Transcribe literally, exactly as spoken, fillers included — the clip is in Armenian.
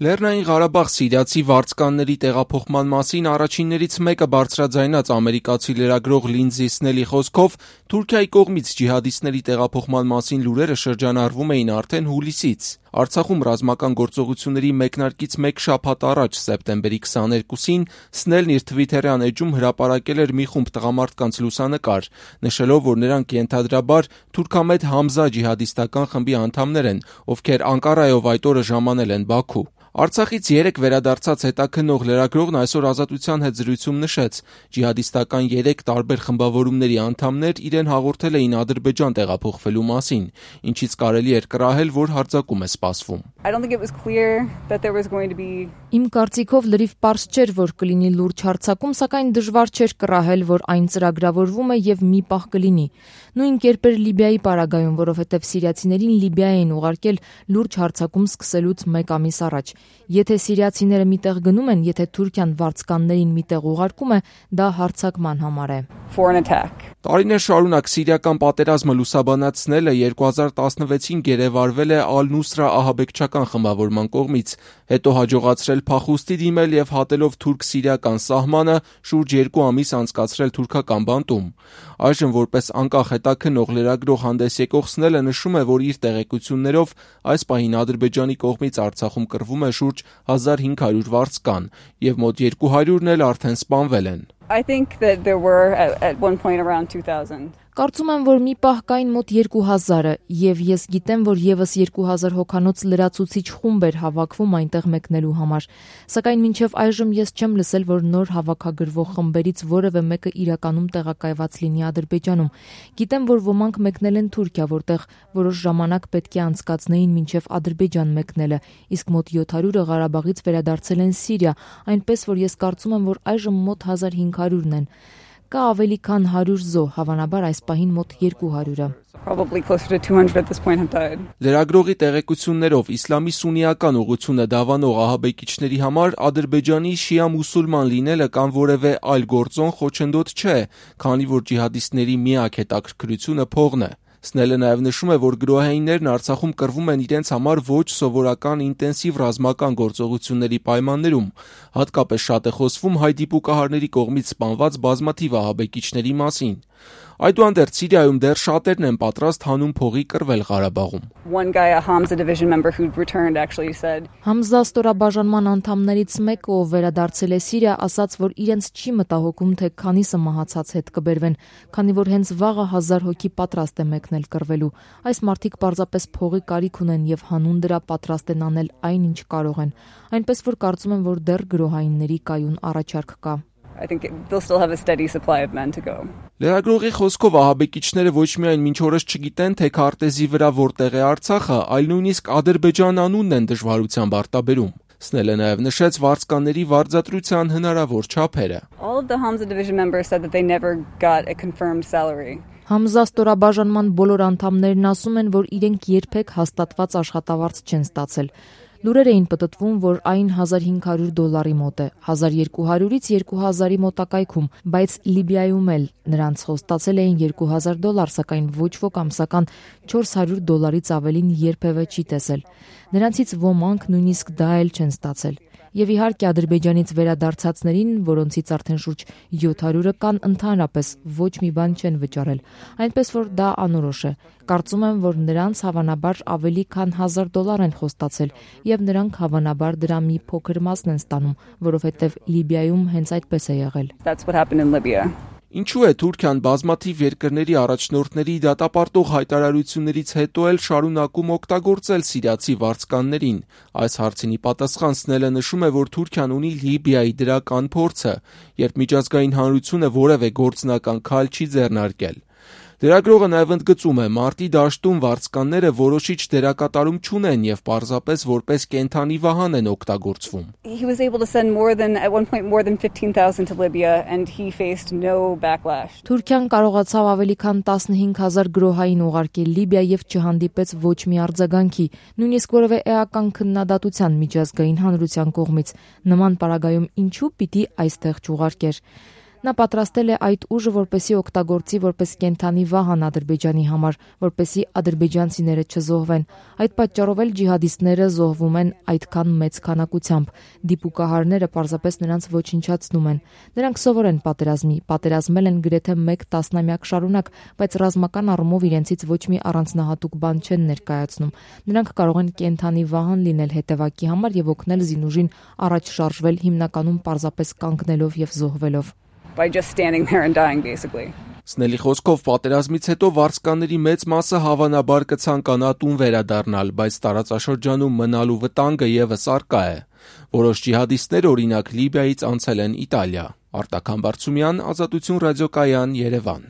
Լեռնային Ղարաբաղ սիրիացի վարձկանների տեղափոխման մասին առաջիններից մեկը բարձրաձայնած ամերիկացի լրագրող Լինդզի Սնելի խոսքով Թուրքիայի կողմից ջիհադիստների տեղափոխման մասին լուրերը շրջանառվում էին արդեն հուլիսից։ Արցախում ռազմական գործողությունների մեկնարկից մեկ շաբաթ առաջ սեպտեմբերի քսաներկուսին Սնելն իր թվիթերյան էջում հրապարակել էր մի խումբ տղամարդկանց լուսանկար, նշելով, որ նրանք ենթադրաբար թուրքամետ Համզա ջիհադիստական խմբի անդամներ են, ովքեր Անկարայով այդ օրը ժամանել են Բաքու։ Արցախից երեկ վերադարձած հետաքննող լրագրողն այսօր Ազատության հետ զրույցում նշեց, ջիհադիստական երեք տարբեր խմբավորումների անդամներ իրեն հաղորդել էին Ադրբեջան տեղափոխվելու մասին, ինչից կարելի էր կռահել, որ հարձակում է սպասվում։ Իմ կարծիքով լրիվ պարզ չէր, որ կլինի լուրջ հարձակում, սակայն դժվար չէր կռահել, որ այն ծրագրավորվում է եւ մի պահ կլինի։ Նույն կերպ էր Լիբիայի պարագայում, որովհետեւ սիրիացիներին Լիբիա էին ուղարկել լուրջ հարձակում սկսելուց մեկ ամիս առաջ։ Եթե սիրիացիները միտեղ գնում են, եթե Թուրքիան վարձկաններին միտեղ ուղարկում է, դա հարձակման համար է։ Տարիներ շարունակ սիրիական պատերազմը լուսաբանացնելը երկու հազար տասնվեցին գերեվարվել է Ալ-Նուսրա ահաբեկչական խմբավորման կողմից, հետո հաջողացրել փախուստի դիմել եւ հատելով թուրք-սիրիական սահմանը շուրջ երկու ամիս անցկացրել թուրքական բանտում։ Այժմ որպես անկախ հետաքննող լրագրող հանդես եկող Սնելը նշում է, որ իր տեղեկություններով այս պահին Ադրբեջանի կողմից Արցախում կռվում է շուրջ հազար հինգ հարյուր վարձկան եւ մոտ երկու հարյուրն էլ արդեն սպանվել են։ I think that there were at, at one point around two thousand. Կարծում եմ, որ մի պահ կային մոտ երկու հազարը, եւ ես գիտեմ, որ եւս երկու հազար հոգանոց լրացուցիչ խումբ էր հավաքվում այնտեղ մեկնելու համար։ Սակայն մինչեւ այժմ ես չեմ լսել, որ նոր հավաքագրվող խմբերից որևէ մեկը իրականում տեղակայված լինի Ադրբեջանում։ Գիտեմ, որ ոմանք մեկնել են Թուրքիա, որտեղ որոշ ժամանակ պետք է անցկացնեին մինչեւ Ադրբեջան մեկնելը, իսկ մոտ յոթ հարյուրը Ղարաբաղից վերադարձել են Սիրիա, այնպես որ ես կարծում եմ, որ այժմ մոտ հազար հինգ հարյուրն են։ Կա ավելի քան հարյուր զոհ, հավանաբար այս պահին մոտ երկու հարյուրը։ Լրագրողի տեղեկություններով իսլամի սուննիական ուղղությունը դավանող ահաբեկիչների համար Ադրբեջանի շիա մուսուլման լինելը կամ որևէ այլ գործոն խոչընդոտ չէ, քանի որ ջիհադիստների միակ հետաքրքրությունը փողն է։ Սնելը նաև նշում է, որ գրոհայիններն Արցախում կռվում են իրենց համար ոչ սովորական ինտենսիվ ռազմական գործողությունների պայմաններում, հատկապես շատ է խոսվում հայ դիպուկահարների կողմից սպանված բազմաթիվ ահաբեկիչների մասին։ Այդուհանդերձ Սիրիայում դեռ շատերն են պատրաստ հանուն փողի կռվել Ղարաբաղում։ One guy, a Hamza division member who returned actually said Համզա ստորաբաժանման անդամներից մեկը, ով վերադարձել է Սիրիա, ասաց, որ իրենց չի մտահոգում, թե քանիսը մահացած հետ կբերվեն, քանի որ հենց վաղը հազար հոգի պատրաստ է մեկնել կռվելու։ Այս մարդիկ պարզապես փողի կարիք ունեն եւ հանուն դրա պատրաստ են անել այն, ինչ կարող են։ Այնպես որ կարծում եմ, որ դեռ գրոհայինների կայուն առաջարկ կա։ I think they'll still have a steady supply of men to go. Լրագրողի խոսքով ահաբեկիչները ոչ միայն մինչ օրս չգիտեն, թե քարտեզի վրա որտեղ է Արցախը, այլ նույնիսկ Ադրբեջան անունն են դժվարությամբ արտաբերում։ Սնելը նաև նշեց վարձկանների վարձատրության հնարավոր չափերը։ All of the Hamza division members said that they never got a confirmed salary. Համզա ստորաբաժանման բոլոր անդամներն ասում են, որ իրենք երբեք հաստատված աշխատավարձ չեն ստացել։ Լուրեր էին պտտվում, որ այն հազար հինգ հարյուր դոլարի մոտ է, հազար երկու հարյուրից երկու հազարի մոտակայքում, բայց Լիբիայում էլ նրանց խոստացել էին երկու հազար դոլար, սակայն ոչ ոք ամսական չորս հարյուր դոլարից ավելին երբևէ չի տեսել։ Նրանցից ոմանք նույնիսկ դա էլ չեն ստացել։ Եվ իհարկե Ադրբեջանից վերադարձածներին, որոնցից արդեն շուրջ յոթ հարյուրը կան, ընդհանրապես ոչ մի բան չեն վճարել, այնպես որ դա անորոշ է։ Կարծում եմ, որ նրանց հավանաբար ավելի քան հազար դոլար են խոստացել, եւ նրանք հավանաբար դրա մի փոքր մասն են ստանում, որովհետեւ Լիբիայում հենց այդպես է եղել։ That's what happened in Libya. Ինչու է Թուրքիան բազմաթիվ երկրների առաջնորդների դատապարտող հայտարարություններից հետո էլ շարունակում օգտագործել սիրիացի վարձկաններին։ Այս հարցինի պատասխան Սնելը նշում է, որ Թուրքիան ունի Լիբիայի դրական փորձը, երբ միջազգային հանրությունը որևէ գործնական քայլ չի ձեռնարկել։ Լրագրողը նաև ընդգծում է, մարտի դաշտում վարձկանները որոշիչ դերակատարում չունեն եւ պարզապես որպես կենթանի վահան են օգտագործվում։ He was able to send more than at one point more than fifteen thousand to Libya and he faced no backlash. Թուրքիան կարողացավ ավելի քան տասնհինգ հազար գրոհային ուղարկել Լիբիա եւ չհանդիպեց ոչ մի արձագանքի, նույնիսկ որևէ էական քննադատության միջազգային հանրության կողմից։ Նման պարագայում ինչու պիտի այստեղ չուղարկեր։ Նա պատրաստել է այդ ուժը, որպեսզի օգտագործի որպես կենդանի վահան Ադրբեջանի համար, որպեսզի ադրբեջանցիները չզոհվեն։ Այդ պատճառով էլ ջիհադիստները զոհվում են այդքան մեծ քանակությամբ։ Դիպուկահարները պարզապես նրանց ոչնչացնում են։ Նրանք սովոր են պատերազմի, պատերազմել են գրեթե մեկ տասնամյակ շարունակ, բայց ռազմական առումով իրենցից ոչ մի առանձնահատուկ բան չեն ներկայացնում։ Նրանք կարող են կենդանի վահան լինել հետևակի համար եւ օգնել զինուժին առաջ շարժվել, հիմնականում պարզապես կանգնելով եւ զոհվելով։ By just standing there and dying, basically. Սնելի խոսքով պատերազմից հետո վարձկանների մեծ մասը հավանաբար կցանկանա տուն վերադառնալ, բայց տարածաշրջանում մնալու վտանգը եւս առկա է։ Որոշ ջիհադիստներ, օրինակ Լիբիայից, անցել են Իտալիա։ Արտակ Համբարձումյան, Ազատություն ռադիոկայան, Երևան։